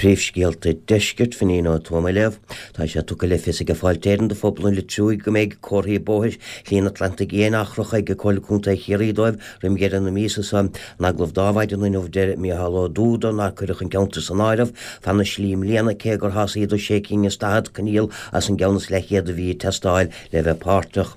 Príomhscéalta Deiscirt, Finín Ó Tuama á léamh. Tá sé tugtha le fios ag Fáilte Éireann do phobal an Leitriúigh go mbeidh comharthaí bóthair Shlí an Atlantaigh Fhiáin á chrochadh ag Comhairle Contae Chiarraí dóibh roim dheireadh na míosa seo. In agallamh dó ar maidin inniu deir Micheál Ó Dúda nár cuireadh an ceantar san áireamh fan na slí i mbliana cé gur shásaíodar sé cinn is 40 coinníoll as an gceann is leathchéad a bhí ag teastáil le bheith páirteach.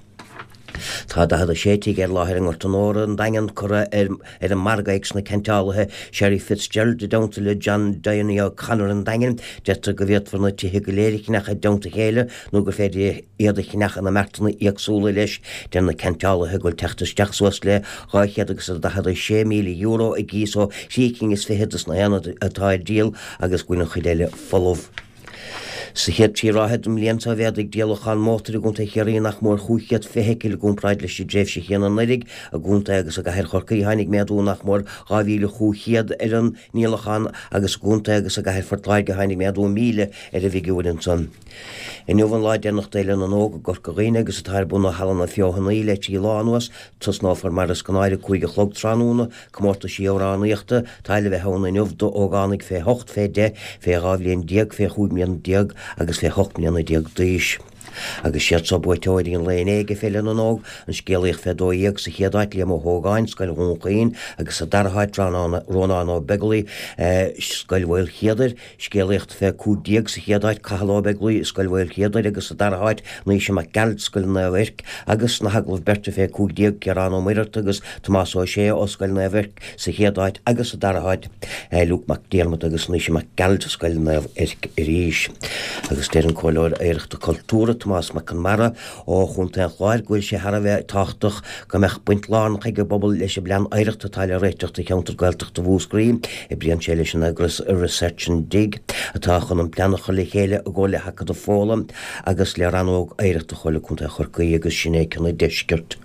Tá 46 tigh ar láthair i nGort an Óra, an Daingean, curtha ar ar an margadh ag sna ceanteálaithe Sherry Fitzgerald i dteannta le John Diony O'Connor an Daingin. Deirtear go bhféadfar na tithe go léir a cheannach i dteannta a chéile nó gur féidir iad a cheannach ina mbeartanna éagsúla leis. Deir na ceanteálaithe go bhfuil teacht isteach suas le €246,000 i gcíos ó thrí cinn is fichead de sna haonaid atá ar díol agus go bhfuil an chuid eile folamh. Sa chéad trí ráithe den mbliain seo mhéadaigh díolachán mótair i gContae Chiarraí nach mór 500 feithicil i gcomparáid leis an dtréimhse chéanna anuraidh. I gcontae agus i gcathair Chorcaí tháinig méadú nach mór 2,500 ar an ndíolachán agus i gcontae agus i gcathair Phort Láirge tháinig méadú 1,000 ar an bhfigiúr ansan. Inniu an lá deireanach d'Fhéile na nÓg i gCorca Dhuibhne agus atá ar bun i Halla na Feothanaí le trí lá anuas. Tosnófar mar is gnáth ar a 5 a chlog tráthnóna. Comórtaisí amhránaíochta atá le bheith ann inniu d'ógánaigh fé hocht, fé dheich, fé 12 bhliain, fé chúig mbliana déag agus fé hocht mbliana déag d'aois. Agus siad seo buaiteoirí an lae inné ag Féile na nÓg, an scéalaíocht fé 12 sa chéad áit, Liam Ó hÓgáin, Scoil Dhún Chaoin, agus sa dara háit, Rónán Ó Beaglaoi, Scoil Mhaoilchéadair. Scéalaíocht fé 15 sa chéad áit, Cathal Ó Beaglaoi, Scoil Mhaoilchéadair agus sa dara háit, Naoise Mac Gearailt, Scoil Naomh Eirc agus sna hagallaimh beirte fé 15, Ciarán Ó Muircheartaigh agus Tomás Ó Sé ó Scoil Naomh Eirc sa chéad áit agus sa dara háit, Luke Mac Diarmada agus Naoise Mac Gearailt, Scoil Naomh Eirc arís. Agus deir an Comhairleoir Oidhreachta Cultúrtha, Tomás Mac Conmara, ó Chontae an Chláir go bhfuil sé thar a bheith tábhachtach go mbeadh baint lárnach ag an bpobal leis an bplean oidhreachta atá le réiteach do cheantar Gaeltachta Mhúscraí. Oibríonn sé leis an eagras Research and Dig atá chun an plean a chur le chéile i gcomhar le hAcadamh Fódhla agus le Rannóg Oidhreachta Chomhairle Contae Chorcaí agus Sinéad Cionnaith Deisceart.